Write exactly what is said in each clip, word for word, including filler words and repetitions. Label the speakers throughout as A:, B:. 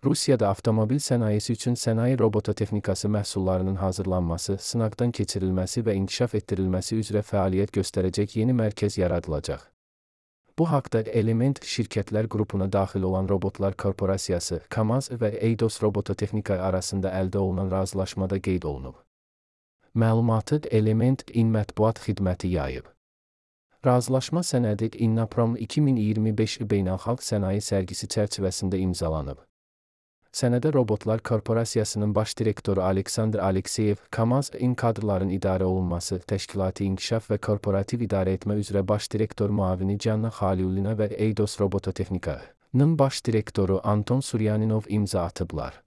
A: Rusiyada avtomobil sənayesi üçün sənaye robototexnikası məhsullarının hazırlanması, sınaqdan keçirilməsi və inkişaf etdirilməsi üzrə fəaliyyət göstərəcək yeni mərkəz yaradılacaq. Bu haqda Element şirkətlər qrupuna daxil olan Robotlar Korporasiyası, KAMAZ və Eidos Robototexnika arasında əldə olunan razılaşmada qeyd olunub. Məlumatı Element İN mətbuat xidməti yayıb. Razılaşma sənədi İNNAPROM iki min iyirmi beş beynəlxalq sənaye sərgisi çərçivəsində imzalanıb. Sənədə Robotlar Korporasiyasının baş direktoru Aleksandr Alekseyev, KAMAZ İN kadrların idarə olunması, təşkilati inkişaf və korporativ idarəetmə üzrə baş direktor müavini Canna Xaliullina və Eidos Robototexnika'nın baş direktoru Anton Suryaninov imza atıblar.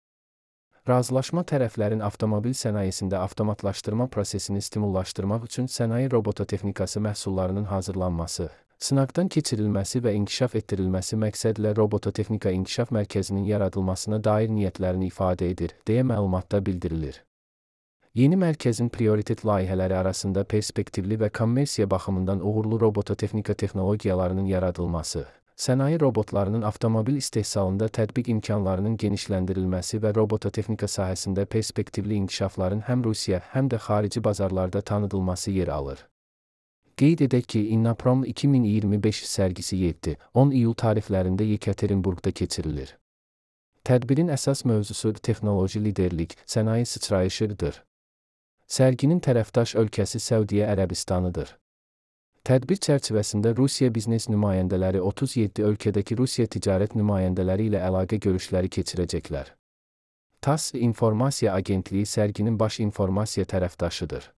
A: Razılaşma tərəflərin avtomobil sənayesində avtomatlaşdırma prosesini stimullaşdırmaq üçün sənaye robototexnikası məhsullarının hazırlanması, sınaqdan keçirilməsi və inkişaf etdirilməsi məqsədlə Robototexnika İnkişaf Mərkəzinin yaradılmasına dair niyyətlərini ifadə edir, deyə məlumatda bildirilir. Yeni mərkəzin prioritet layihələri arasında perspektivli və kommersiya baxımından uğurlu robototexnika texnologiyalarının yaradılması, sənaye robotlarının avtomobil istehsalında tətbiq imkanlarının genişləndirilməsi və robototexnika sahəsində perspektivli inkişafların həm Rusiya, həm də xarici bazarlarda tanıdılması yer alır. Qeyd edək ki, İNNAPROM iki min iyirmi beş sərgisi yeddi on iyul tarixlərində Yekaterinburqda keçirilir. Tədbirin əsas mövzusu texnoloji liderlik, sənaye sıçrayışıdır. Sərginin tərəfdaş ölkəsi Səudiyyə Ərəbistanıdır. Tədbir çərçivəsində Rusiya biznes nümayəndələri otuz yeddi ölkədəki Rusiya ticarət nümayəndələri ilə əlaqə görüşləri keçirəcəklər. TASS informasiya agentliyi sərginin baş informasiya tərəfdaşıdır.